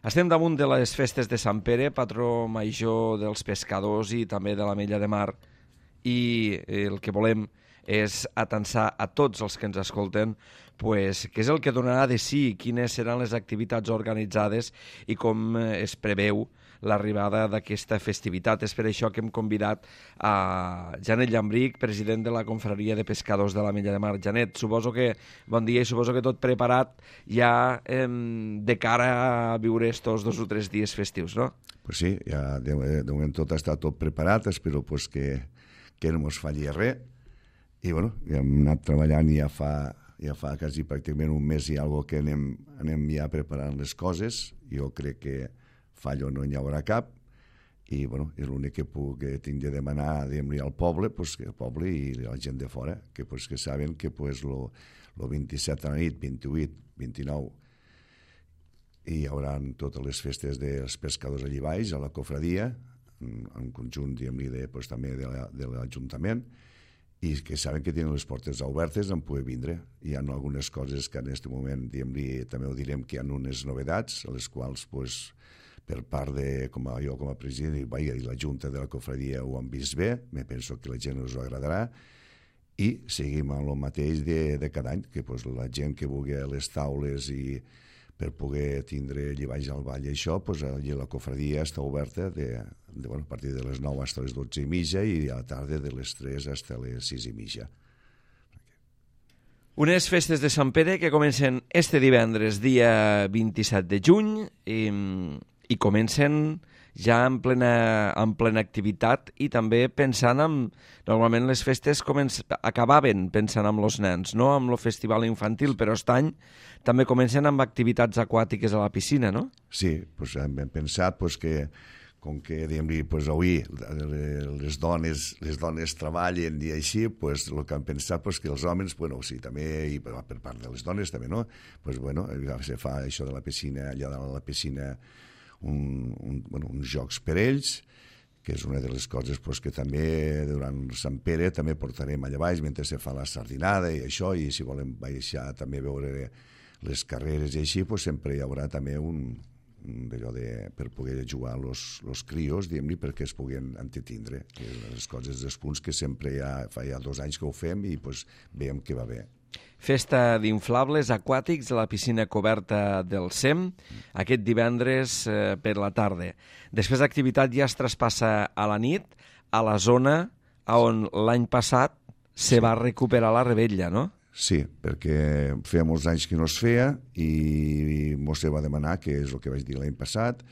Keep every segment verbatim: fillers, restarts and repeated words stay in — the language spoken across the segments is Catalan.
Estem damunt de les festes de Sant Pere, patró major dels pescadors i també de l'Ametlla de Mar, i el que volem és atensar a tots els que ens escolten pues, què és el que donarà de sí, quines seran les activitats organitzades i com es preveu l'arribada d'aquesta festivitat. És per això que hem convidat a Janet Llambrich, president de la Confraria de Pescadors de l'Ametlla de Mar. Janet, suposo que, bon dia, i suposo que tot preparat ja eh, de cara a viure estos dos o tres dies festius, no? Pues sí, ja de, de moment tot està tot preparat, espero pues, que, que no ens falli res. I bueno, ja hem anat treballant ja fa, ja fa quasi pràcticament un mes i alguna que anem, anem ja preparant les coses. Jo crec que fallo no hi haurà cap i bueno, és l'únic que puc que tinc de demanar al poble, pues, que el poble i la gent de fora, que, pues, que saben que pues, lo, lo vint-i-set a la nit, vint-i-vuit, vint-i-nou hi haurà totes les festes dels pescadors allà baix, a la cofradia, en, en conjunt de, pues, també de l'Ajuntament, i que saben que tenen les portes obertes en poder vindre. Hi ha algunes coses que en aquest moment també ho direm que hi ha unes novedats, a les quals pues, per part de, com a, jo com a president i, i la Junta de la Cofradia ho han vist bé, me penso que la gent us ho agradarà, i seguim amb el mateix de, de cada any, que pues, la gent que vulgui les taules i per poder tindre allà baix al ball i això, pues, allà la cofradia està oberta de, de, bueno, a partir de les nou fins a les dotze i mitja i a la tarda de les tres fins a les sis i mitja. Unes festes de Sant Pere que comencen este divendres, dia vint-i-set de juny, i, i comencen ja en plena, en plena activitat i també pensant en... Normalment les festes començ, acabaven pensant en els nens, no amb el festival infantil, però aquest any també comencen amb activitats aquàtiques a la piscina, no? Sí, pues hem pensat pues, que com que diguem-li, pues, avui les dones, les dones treballen i així, pues, el que han pensat pues, que els homes, bueno, sí, també, i per part de les dones també, no? Pues, bueno, se fa això de la piscina, allà de la piscina, un, un, bueno, uns jocs per ells, que és una de les coses pues, que també durant Sant Pere també portarem allà baix mentre se fa la sardinada i això, i si volem baixar també veure les carreres i així, pues, sempre hi haurà també un, d'allò de, per poder jugar els crios, diguem-li, perquè es puguin entretindre. És una de les coses, dels punts que sempre ja, fa ja dos anys que ho fem i pues, veiem que va bé. Festa d'inflables aquàtics a la piscina coberta del S E M, aquest divendres eh, per la tarda. Després l'activitat ja es traspassa a la nit, a la zona on l'any passat se va recuperar la rebella, no? Sí, perquè feia molts anys que no es feia i mos se va demanar, que és el que vaig dir l'any passat,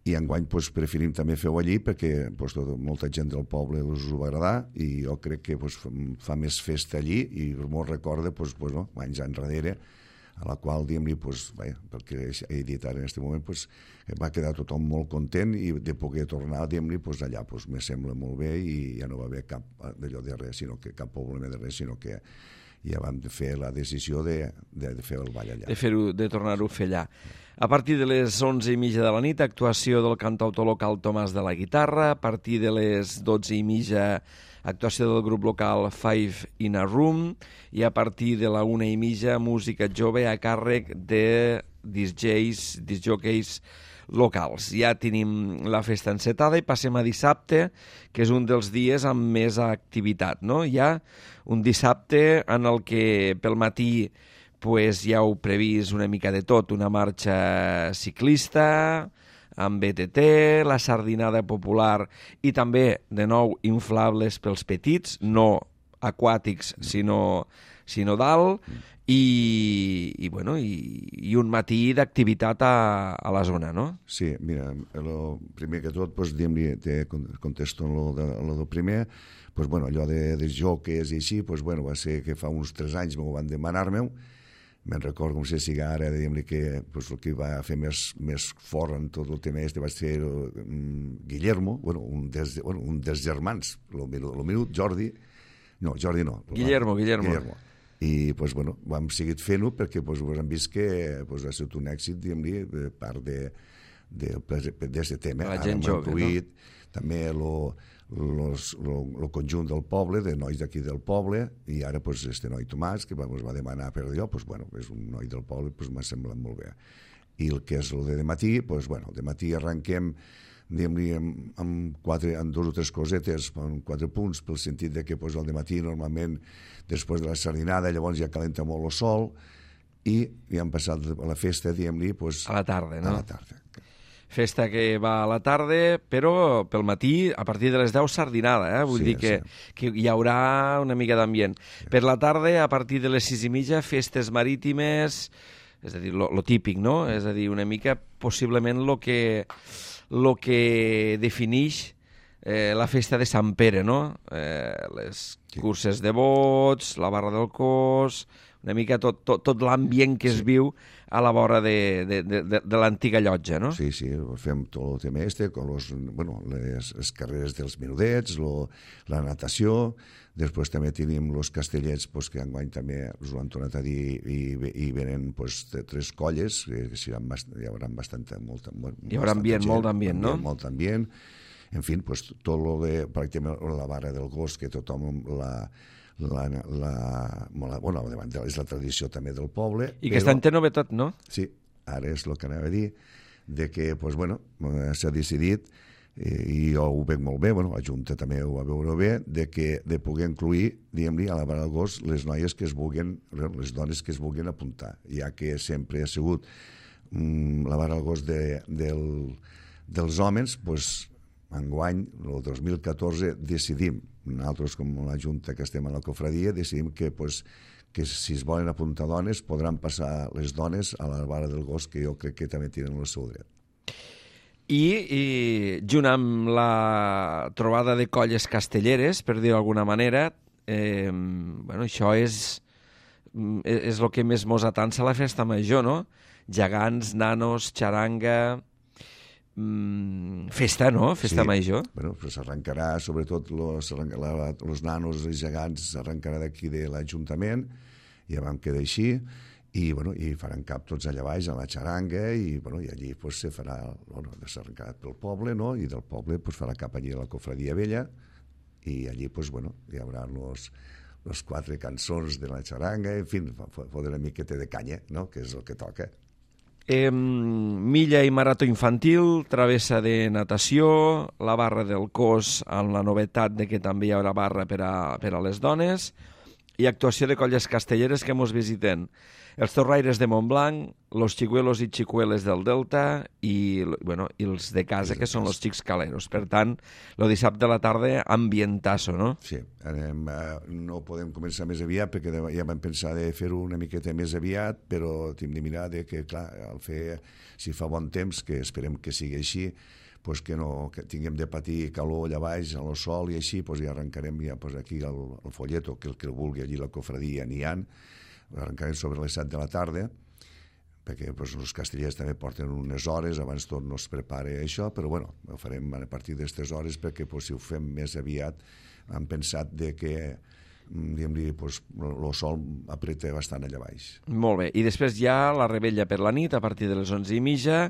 i enguany pues, preferim també fer-ho allí perquè pues, tot, molta gent del poble us ho va agradar i jo crec que pues, fa més festa allí i m'ho recorda pues, pues, no, anys enrere, a la qual diguem-li, pues, vaja, perquè he dit ara en aquest moment, pues, va quedar tothom molt content i de poder tornar diguem-li, pues, allà pues, me sembla molt bé i ja no va haver cap d'allò de res, sinó que cap problema de res, sinó que ja vam fer la decisió de, de, de fer el ball allà. De, fer-ho, de tornar-ho a fer allà. A partir de les onze i mitja de la nit, actuació del cantautor local Tomàs de la Guitarra. A partir de les dotze i mitja, actuació del grup local Five in a Room. I a partir de la una i mitja, música jove a càrrec de discjs, discjockeys locals. Ja tenim la festa encetada i passem a dissabte, que és un dels dies amb més activitat, no? Hi ha un dissabte en el que pel matí pues, ja heu previst una mica de tot, una marxa ciclista, amb B T T, la sardinada popular i també, de nou, inflables pels petits, no aquàtics, sinó, sinó dalt, i, i, bueno, i, i un matí d'activitat a, a la zona, no? Sí, mira, el primer que tot, pues, diguem-li, te contesto en lo, de, lo del primer, pues, bueno, allò de, de joques i així, pues, bueno, va ser que fa uns tres anys m'ho van demanar-me-ho. Me'n recordo com si sigui ara, diguem-li que pues, el que va fer més, més fort en tot el tema este va ser um, Guillermo, bueno, un, des, bueno, un dels germans, el meu Jordi, no, Jordi no. Guillermo, Guillermo. Guillermo. I pues, bueno, vam seguir fent-ho perquè pues, hem vist que pues, ha sigut un èxit, diguem-li, de part d'aquest tema. La gent jove, incluït, no? També el conjunt del poble, de nois d'aquí del poble, i ara pues, este noi Tomàs, que ens va demanar per allò, pues, bueno, és un noi del poble, pues, m'ha semblat molt bé. I el que és el de matí, doncs, bueno, de matí arrenquem diguem-li, amb, amb, quatre, amb dos o tres cosetes, amb quatre punts, pel sentit de que pues, el matí normalment, després de la sardinada, llavors ja calenta molt el sol, i ja hem passat a la festa, diguem-li, pues, a la tarda, no? A la tarda. Festa que va a la tarda, però pel matí, a partir de les deu, sardinada, eh? Vull Sí, dir que, sí. que hi haurà una mica d'ambient. Sí. Per la tarda, a partir de les sis i mitja, festes marítimes, és a dir, lo, lo típic, no? És a dir, una mica, possiblement, lo que, lo que definix eh, la festa de Sant Pere, no? Eh, les Sí. curses de bots, la barra del cos, una mica tot, tot, tot l'ambient que es Sí. viu a la vora de, de, de, de, de l'antiga llotja, no? Sí, sí, fem tot el tema este, con los, bueno, les, les carreres dels menudets, lo, la natació, després també tenim els castellets pues, que enguany també us ho han tornat a dir i, i venen pues, tres colles, que, que seran bast hi haurà bastanta, molta, hi haurà ambient, molt d'ambient, no? Molt ambient, en fi, pues, tot lo de, pràcticament la barra del gos, que tothom la... La, la, la, bueno, és la tradició també del poble. I que està en té novetat, no? Sí, ara és el que anava a dir, de que, pues, bueno, s'ha decidit, eh, i jo ho veig molt bé, bueno, la Junta també ho va veure bé, de, que, de poder incluir, diguem-li, a la barra del gos les noies que es vulguin, les dones que es vulguin apuntar, ja que sempre ha sigut mm, la barra del gos de, del, dels homes, pues, enguany, el dos mil catorze, decidim, nosaltres com la Junta que estem a la cofradia, decidim que, pues, que si es volen apuntar dones, podran passar les dones a la barra del gos, que jo crec que també tenen el seu dret. I, i junt amb la trobada de colles castelleres, per dir-ho d'alguna manera, eh, bueno, això és, és el que més mos atansa a la festa major, no? Gegants, nanos, xaranga... Mm, festa, no? Festa sí. major. Bueno, pues s'arrencarà, sobretot los, los nanos i gegants s'arrencarà d'aquí de l'Ajuntament, ja vam quedar així, i, bueno, i faran cap tots allà baix a la xaranga, i, bueno, i allí pues, se farà, bueno, s'arrencarà pel poble, no? I del poble pues, farà cap allí a la cofradia vella, i allí pues, bueno, hi haurà los, los quatre cançons de la xaranga, en fi, fotre una miqueta de canya, no? Que és el que toca. Eh, milla i marató infantil, travessa de natació, la barra del cos amb la novetat de que també hi haurà barra per a, per a les dones, i actuació de colles castelleres que mos visiten. Els torraires de Montblanc, los xicuelos i xicueles del Delta i, bueno, i els de casa, que són els xics caleros. Per tant, el dissabte a la tarda, ambientasso, no? Sí, anem, eh, no podem començar més aviat perquè ja vam pensar de fer-ho una miqueta més aviat, però hem de mirar de que, clar, al fer, si fa bon temps, que esperem que sigui així, pues que no que tinguem de patir calor allà baix, al sol i així, pues ja arrencarem ja, pues aquí el, el folleto, que el que el vulgui allí la cofradia n'hi ha, arrencarem sobre les set de la tarda, perquè pues, els castellers també porten unes hores, abans tot no es prepara això, però bueno, ho farem a partir d'aquestes hores perquè pues, si ho fem més aviat hem pensat de que diguem-li, pues, el sol apreta bastant allà baix. Molt bé, i després hi ha la rebella per la nit a partir de les onze i mitja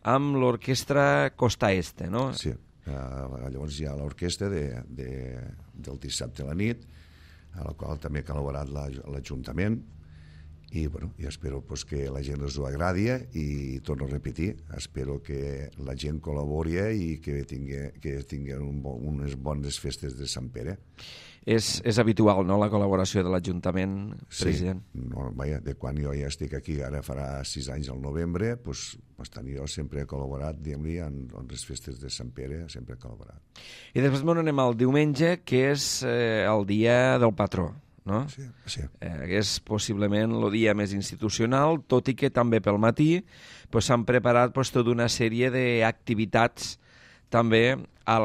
amb l'orquestra Costa Este, no? Sí, uh, llavors hi ha l'orquestra de, de, del dissabte a la nit, a la qual també ha col·laborat l'Ajuntament, i bueno, jo espero pues, que la gent us ho agradi i torno a repetir, espero que la gent col·labori i que tingui, que tingui un bon, unes bones festes de Sant Pere. És, és habitual, no?, la col·laboració de l'Ajuntament, president? Sí, no, vaja, de quan jo ja estic aquí, ara farà sis anys al novembre, pues, bastant jo sempre he col·laborat, diguem-li, en, en les festes de Sant Pere, sempre he col·laborat. I després m'on anem al diumenge, que és eh, el dia del patró, no? Sí, sí. Eh, que és possiblement el dia més institucional, tot i que també pel matí pues, s'han preparat pues, tota una sèrie d'activitats també a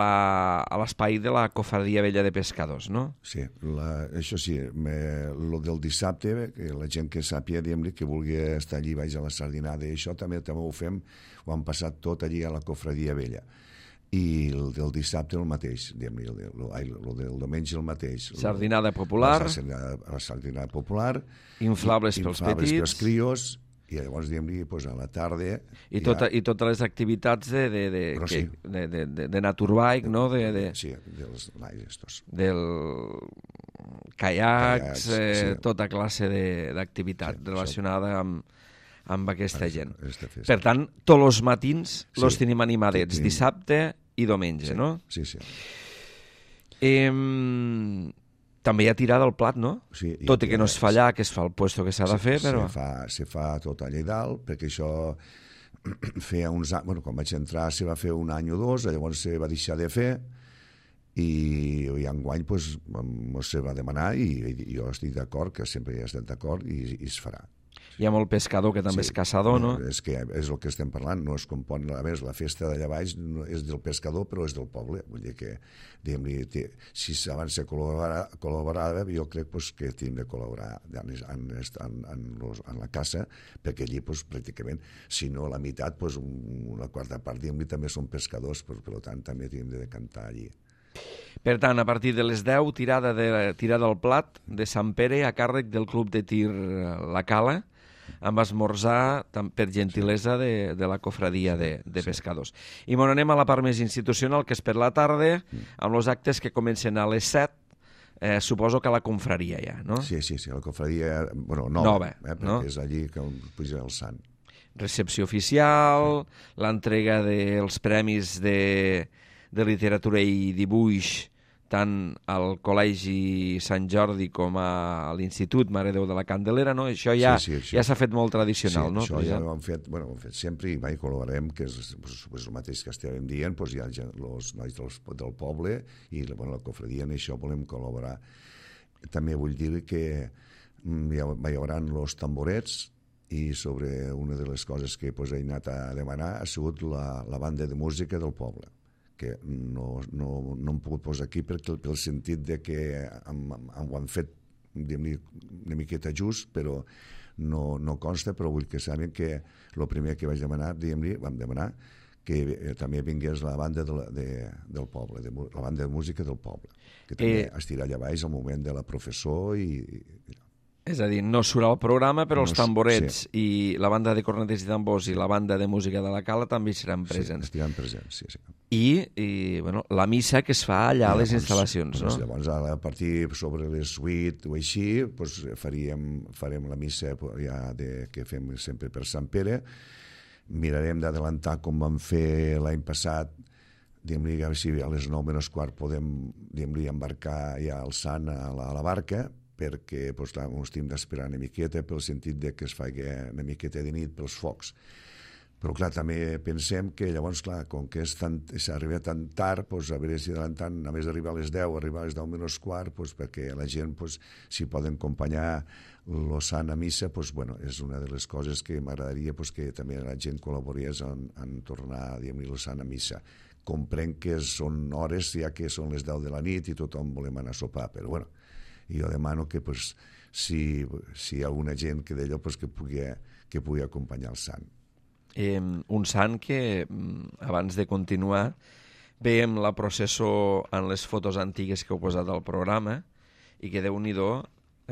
l'espai de la Cofradia Vella de Pescadors, no? Sí, la, això sí, me, lo del dissabte, que la gent que sàpia, diguem-li, que vulgui estar allí baix a la sardinada i això, també també ho fem, ho han passat tot allí a la Cofradia Vella. I el del dissabte el mateix, diguem-li, el, el, el del diumenge el mateix. Sardinada popular. La sardinada, la sardinada popular. Inflables pels inflables petits. Inflables pels crios. I llavors, diguem-li, pues, a la tarda... I, tota, ja... I totes les activitats de, de, de, que, sí. de, de, de, de naturbike, no? De, de, sí, dels estos. Del caiacs, caiacs eh, sí. Tota classe d'activitat sí, relacionada amb, amb aquesta Això, gent. esta festa. Per tant, tots els matins Sí, los tenim animadets, tenim- dissabte i diumenge, Sí, no? sí, sí. Eh, també hi ha tirada al plat, no? Sí, hi ha Tot i que no es fa tirada, allà, que es fa el puesto que s'ha de fer, se, però... Se fa, se fa tot allà dalt, perquè això feia uns anys... Bueno, quan vaig entrar se va fer un any o dos, llavors se va deixar de fer, i, i enguany pues, se va demanar i, i jo estic d'acord, que sempre he estat d'acord, i, i es farà. Hi ha molt pescador que també Sí, és caçador, no? És que és el que estem parlant, no es compon, a més, la festa d'allà baix no és del pescador, però és del poble, vull dir que, diguem-li, si abans se col·laborava, col·laborava, jo crec pues, que hem de col·laborar en, en, en, en, los, en la caça, perquè allí, pues, pràcticament, si no la meitat, pues, una quarta part, diguem-li, també són pescadors, però, per tant, també hem de decantar allí. Per tant, a partir de les deu, tirada, de, tirada al plat de Sant Pere a càrrec del Club de Tir La Cala, amb esmorzar per gentilesa de, de la cofradia de, de pescadors. I bon, anem a la part més institucional, que és per la tarda, amb els actes que comencen a les set, eh, suposo que a la confraria ja, no? Sí, sí, sí, la cofradia, bueno, nova, Nova, eh, perquè no? és allí que puja el sant. Recepció oficial, l'entrega dels premis de, de literatura i dibuix tant al Col·legi Sant Jordi com a l'Institut Mare Déu de la Candelera, no? Això ja sí, sí, això. ja s'ha fet molt tradicional, sí, no? Això ja ho hem fet, bueno, ho hem fet sempre i mai col·laborem, que és, pues, és el mateix que estàvem dient, pues, hi ha els nois del, del poble i bueno, la cofradia en això volem col·laborar. També vull dir que hi, ha, hi haurà els tamborets i sobre una de les coses que pues, he anat a demanar ha sigut la, la banda de música del poble, que no, no, no hem pogut posar aquí perquè, pel sentit de que hem, hem, ho han fet una miqueta just, però no, no consta, però vull que sàpiguen que el primer que vaig demanar, diguem-li, vam demanar que eh, també vingués la banda de, de, del poble, de, la banda de música del poble, que també eh... estirà allà baix al moment de la professó i... i és a dir, no surt al programa, però no, els tamborets sí. i la banda de corneters i tambors i la banda de música de la Cala també seran presents. Sí, estiran presents, sí, sí. I, i bueno, la missa que es fa allà a les instal·lacions, doncs, no? Llavors, a partir sobre les vuit o així, doncs, faríem, farem la missa ja de, que fem sempre per Sant Pere. Mirarem d'adelantar com vam fer l'any passat, diguem-li, a veure si a les nou menys quart podem, diguem-li, embarcar ja el sant a la, a la barca, perquè doncs, clar, ens hem d'esperar una miqueta pel sentit de que es faci una miqueta de nit pels focs. Però, clar, també pensem que llavors, clar, com que s'arriba tan tard, doncs, a veure si adelantant, a més d'arribar a les deu, arribar a les deu menys quart, doncs, perquè la gent, doncs, si poden acompanyar el sant a missa, doncs, bueno, és una de les coses que m'agradaria doncs, que també la gent col·laborés en, en tornar, diguem-li, el sant a missa. Comprenc que són hores, ja que són les deu de la nit i tothom volem anar a sopar, però, bueno, jo demano que pues, si, si hi ha alguna gent que d'allò pues, que, pugui, que pugui acompanyar el sant. Eh, un sant que, abans de continuar, veiem la processó en les fotos antigues que heu posat al programa i que, déu-n'hi-do,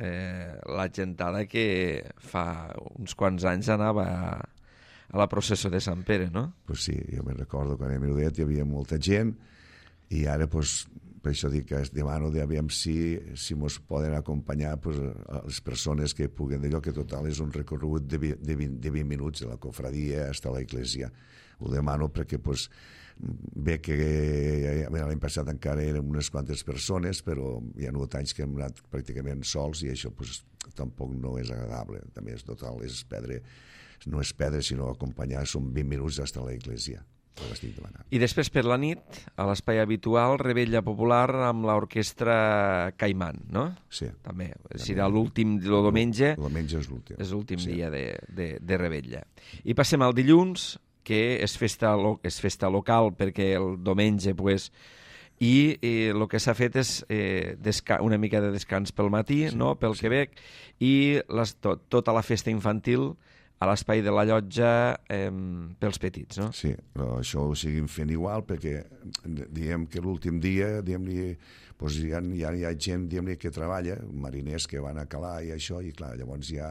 eh, la gentada que fa uns quants anys anava a, a la processó de Sant Pere, no? Pues sí, jo me'n recordo quan era menudet hi havia molta gent i ara pues, per això dic que es demano de aviam si, si mos poden acompanyar pues, a les persones que puguen d'allò, que total és un recorregut de, de, vint, de vint minuts de la cofradia fins a l'església. Ho demano perquè pues, bé que l'any passat encara eren unes quantes persones, però hi ha hagut anys que hem anat pràcticament sols i això pues, tampoc no és agradable. També és total, és perdre, no és perdre, sinó acompanyar, són vint minuts fins a l'església. I després per la nit, a l'espai habitual, Revetlla Popular amb l'orquestra Caimán, no? Sí. També. Serà l'últim, el diumenge. El diumenge és l'últim. És l'últim sí. dia de, de, de Revetlla. I passem al dilluns, que és festa, lo, és festa local, perquè el diumenge, pues, i eh, el que s'ha fet és eh, una mica de descans pel matí, sí, no? Pel sí. Quebec, i les, tot, tota la festa infantil a l'espai de la llotja eh, pels petits, no? Sí, però això ho seguim fent igual perquè diem que l'últim dia diguem-li, doncs hi, ha, hi, ha, hi ha gent diguem-li, que treballa, mariners que van a calar i això, i clar, llavors ja,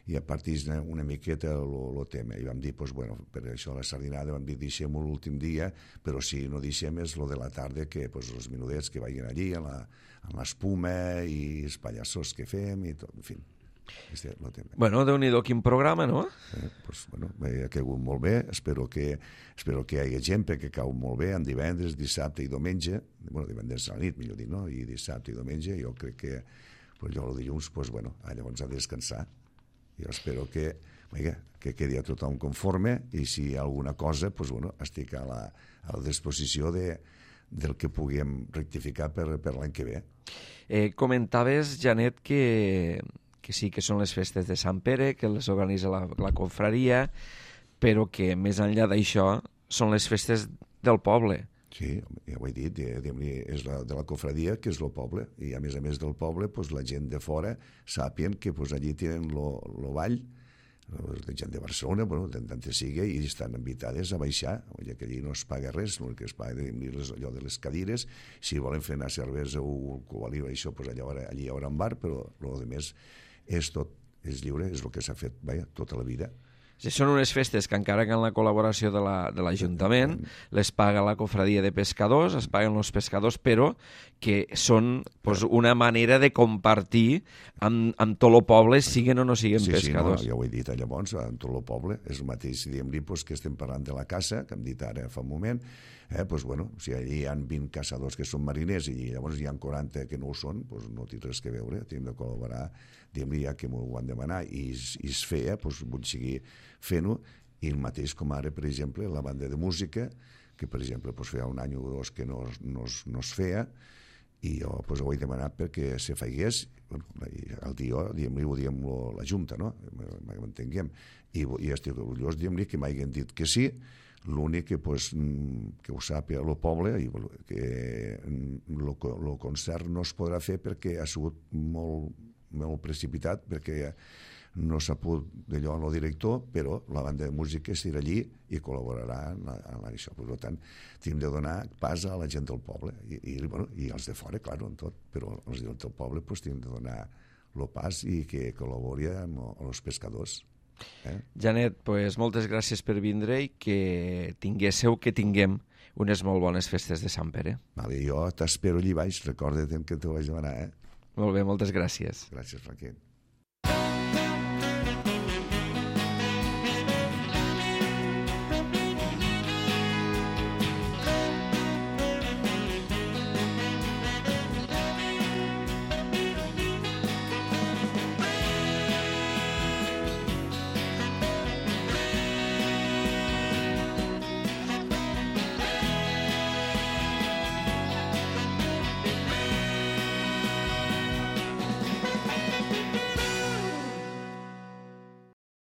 ja partís una miqueta el tema. I vam dir, doncs, bueno, per això la sardinada vam dir, deixem-ho l'últim dia, però si no deixem és lo de la tarda, que doncs, els menudets que vagin allí, en l'espuma i els pallassos que fem i tot, en fi. Este lo tema. Bueno, Déu-n'hi-do, quin programa, no? Eh, pues, bueno, ha caigut molt bé, espero que, espero que hi hagi gent perquè cau molt bé en divendres, dissabte i diumenge, bueno, divendres a la nit, millor dir, no? I dissabte i diumenge, jo crec que pues, jo el dilluns, pues, bueno, llavors ha de descansar. Jo espero que, vinga, que quedi a tothom conforme i si hi ha alguna cosa, pues, bueno, estic a la, a la disposició de, del que puguem rectificar per, per l'any que ve. Eh, comentaves, Janet, que, que sí que són les festes de Sant Pere, que les organitza la, la confraria, però que més enllà d'això són les festes del poble. Sí, ja ho he dit, és la, de la confraria, que és el poble, i a més a més del poble, pues, la gent de fora sàpien que pues, allí tenen el ball, la gent de Barcelona, bueno, tant sigui, i estan invitades a baixar, ja que allí no es paga res, el que es paga és allò de les cadires, si volen fer una cervesa o alcohol i això, pues allà, allí hi haurà un bar, però el més és tot, és lliure, és el que s'ha fet, vaja, tota la vida. Sí, són unes festes que encara que en la col·laboració de l'Ajuntament la, les paga la cofradia de pescadors, es paguen els pescadors, però que són pues, una manera de compartir amb, amb tot el poble, siguen o no siguen sí, pescadors. Sí, no, ja ho he dit llavors, amb tot el poble, és el mateix, diguem-li pues, que estem parlant de la caça, que hem dit ara fa un moment, eh, pues, bueno, si allí hi ha vint caçadors que són mariners i llavors hi ha quaranta que no ho són, pues, no té res que veure, hem de col·laborar, diguem-li ja que m'ho van demanar i, i es feia, pues, vull seguir fent-ho, i el mateix com ara, per exemple, la banda de música, que per exemple pues, feia un any o dos que no, no, no es feia, i jo pues, ho he demanat perquè se faigués, bueno, el dia, diguem-li, ho diem la Junta, no? M'entenguem. I, i estic orgullós, diguem-li, que m'hagin dit que sí, l'únic que, pues, que ho sàpiga el poble, i que el concert no es podrà fer perquè ha sigut molt, molt precipitat, perquè no s'ha pogut d'allò en el director, però la banda de música estirà allí i col·laborarà en, la, en això. Per tant, hem de donar pas a la gent del poble i, i, bueno, i els de fora, clar, en tot, però els del poble pues, hem de donar el pas i que col·labori amb els pescadors. Eh? Janet, pues, moltes gràcies per vindre i que tinguéssiu, que tinguem unes molt bones festes de Sant Pere. Vale, jo t'espero allí baix, recorda't que t'ho vaig demanar. Eh? Molt bé, moltes gràcies. Gràcies, Franquet.